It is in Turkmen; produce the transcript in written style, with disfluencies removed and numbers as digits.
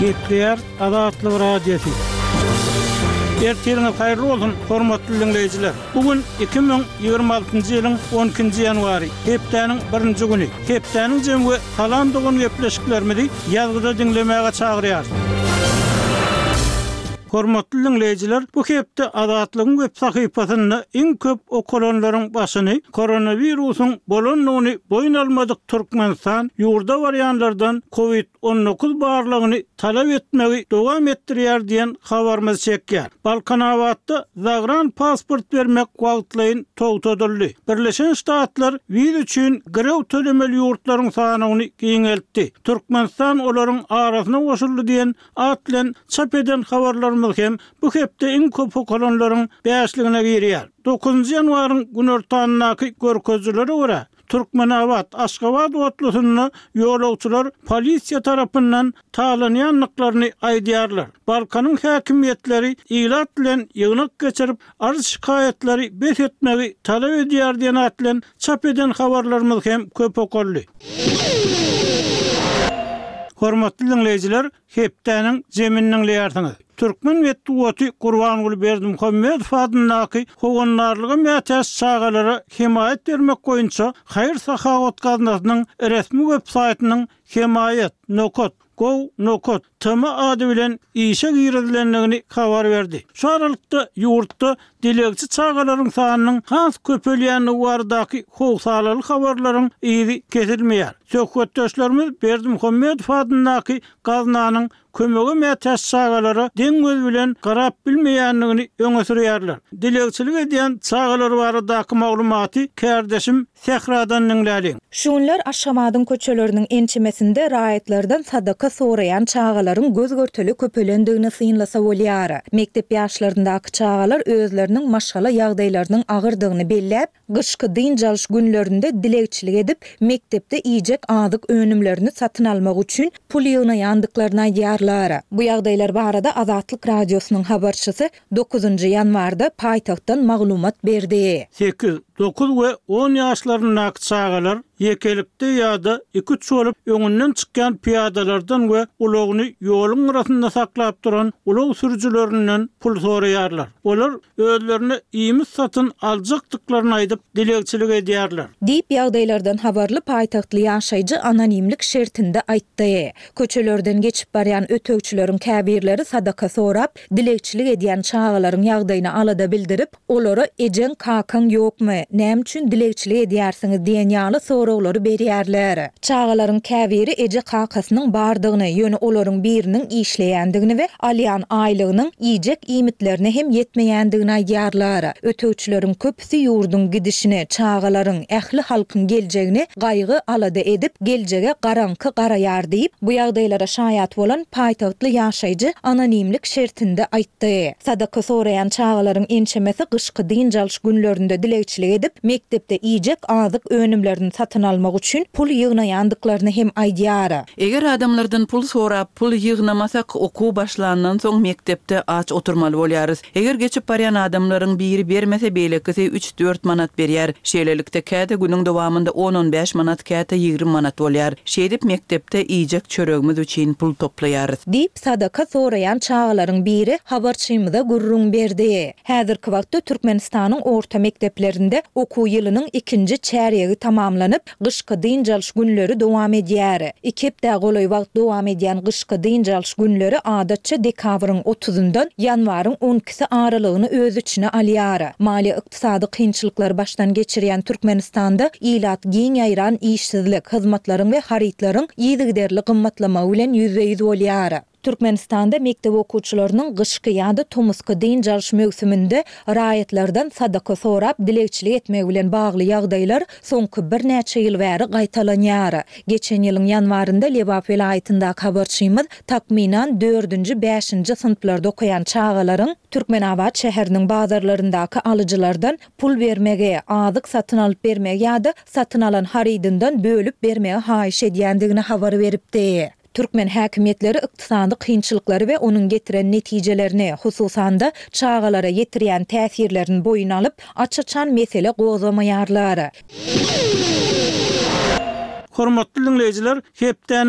Gepleýär Azatlyk Radiosy. Ertiriňiz haýyrly bolsun, hormatly diňleýjiler! Bu gün 2026-njy ýylyň on ikinji ýanwary, hepdäniň birinji güni. Hepdäniň jemi we Salam dogan gepleşiklerimizi ýazgyda diňlemäge çagyrýarys. Hormatly diňleýjiler, bu hepde Azatlygyň web sahypasynda iň köp okalanlaryň başyny koronawirusyň bolandygyny boýun almadyk Türkmenistan ýurda barýanlardan kowid 19 barlagyny talap etmegi dowam etdirýär diýen habarymyz çekýär. Balkanabatda zagran pasport bermek wagtlaýyn togtadyldy. Birleşen Ştatlar wiza üçin girew tölemeli ýurtlaryň sanawyny giňeltdi. Türkmenistan olaryň arasyna goşuldy diýen at bilen çap eden habarlarymyz hem bu hepde iň köp okalanlaryň bäşligine girýär. Dokuzynjy ýanwaryň günortanyndaky görkezijilere görä, Türkmenabat, Aşgabat otlusynda ýolagçylar polisiýa tarapyndan talanýandyklaryny aýdýarlar. Balkanyň häkimiýetleri ilat bilen ýygnak geçirip, arz-şikaýatlary bes etmegi talap edýär diýen at bilen çap eden habarlarymyz hem köp okaldy. Hormatly diňleýjiler, hepdäniň jemini diňleýärsiňiz. Türkmen metbugaty Gurbanguly Berdimuhamedow adyndaky Howandarlyga mätäç çagalara hemaýat bermek boýunça haýyr-sahawat gaznasynyň resmi web saýtynyň hemaýat. Nokat. Gov. Nokat. Tm ady bilen işe girizilendigini habar berdi. Şu aralykda, ýurtda dilegçi çagalaryň sanynyň has köpelýändigi baradaky howsalaly habarlaryň yzy kesilmeýär. Söhbetdeşlerimiz Berdimuhamedow adyndaky gaznanyň kömege mätäç çagalara deň göz bilen garap bilmeýändigini öňe sürýärler. Dilegçilik edýän çagalar baradaky maglumaty kärdeşim Sähradan diňläliň. Şu günler Aşgabadyň köçeleriniň ençemesinde raýatlardan sadaka soraýan çagalaryň göz-görtele köpelendigini synlasa bolýar. Mekdep ýaşlaryndaky çagalar özleriniň maşgala ýagdaýlarynyň agyrdygyny belläp, gyşky dynç alyş günlerinde dilegçilik edip, mekdepde iýjek azyk önümlerini satyn almak üçin pul ýygnaýandyklaryny aýdýarlar. Bu ýagdaýlar barada Azatlyk Radiosynyň habarçysy dokuzynjy ýanwarda paýtagtdan maglumat berdi. Sekiz, dokuz we on ýaşlaryndaky çagalar ýekelikde ýa-da iki-üç bolup öňünden çykýan pyýadalardan we ulagyny ýoluň gyrasynda saklap duran ulag sürüjilerinden pul soraýarlar. Olar özlerine iýmit satyn aljakdyklaryny aýdyp, dilegçilik edýärler. Diýip, ýagdaýlardan habarly paýtagtly ýaşaýjy anonimlik şertinde aýtdy. Köçelerden geçip barýan ötegçileriň käbirleri sadaka sorap, dilegçilik edýän çagalaryň ýagdaýyna alada bildirip, olara ejeň, kakaň ýokmy, näme üçin dilegçilik edýärsiňiz diýen ýaly soraglary berýärler. Çagalaryň käbiri eje-kakasynyň bardygyny, ýöne olaryň biriniň işleýändigini we alýan aýlygynyň iýjek iýmitlerine hem ýetmeýändigini aýdýarlar. Ötegçileriň köpüsi ýurduň gidişini, çagalaryň, ähli halkyň geljegini gaýgy-alada edip, geljege garaňky garaýar diýip, bu ýagdaýlara şaýat bolan paýtagtly ýaşaýjy anonimlik şertinde aýtdy. Sadaka soraýan çagalaryň ençemesi gyşky dynç alyş günlerinde dilegçilik edip, mekdepde iýjek azyk önümlerini satyn almak üçin pul ýygnaýandyklaryny hem aýdýar. Eger adamlardan pul sorap, pul ýygnamasak, okuw başlandan soň mekdepde aç oturmaly bolýarys. Eger geçip barýan adamlaryň biri bermese, beýlekisi üç-dört manat berýär. Şeýlelikde, käte günüň dowamynda on-on bäş manat, käte 20 manat bolýar. Şeýdip, mekdepde iýjek çöregimiz üçin pul toplaýarys. Diýip, sadaka soraýan çagalaryň biri habarçymyza gürrüň berdi. Häzirki wagtda Türkmenistanyň orta mekdeplerinde okuw ýylynyň ikinji çärýegi tamamlanyp, Gyşky dynç alyş günleri dowam edýär. Iki hepdä golaý wagt dowam edýän gyşky dynç alyş günleri adatça dekabryň otuzyndan ýanwaryň on ikisi aralygyny öz içine alýar. Maliýe-ykdysady kynçylyklary başdan geçirýän Türkmenistanda ilat giň ýaýran işsizlik, hyzmatlaryň we harytlaryň yzygiderli gymmatlamagy bilen ýüzbe-ýüz bolýar. Türkmenistanda mekdep okuwçylarynyň gyşky ýa-da tomusky dynç alyş möwsüminde raýatlardan sadaka sorap dilegçilik etmegi bilen bagly ýagdaýlar soňky birnäçe ýyl bäri gaýtalanýar. Geçen ýylyň ýanwarynda Lebap welaýatyndaky habarçymyz takmynan dördünji-bäşinji synplarda okaýan çagalaryň Türkmenabat şäheriniň bazarlaryndaky alyjylardan pul bermegi, azyk satyn alyp bermegi ýa-da satyn alan harydyndan bölüp bermegi haýyş edýändigini habar beripdi. Türkmen häkimiýetleri ykdysady kynçylyklary we onuň getiren netijelerini, hususan-da, çagalara ýetirýän täsirlerini boýun alyp, aç-açan mesele gozgamaýarlar. Hormatly diňleýjiler, hepdäniň.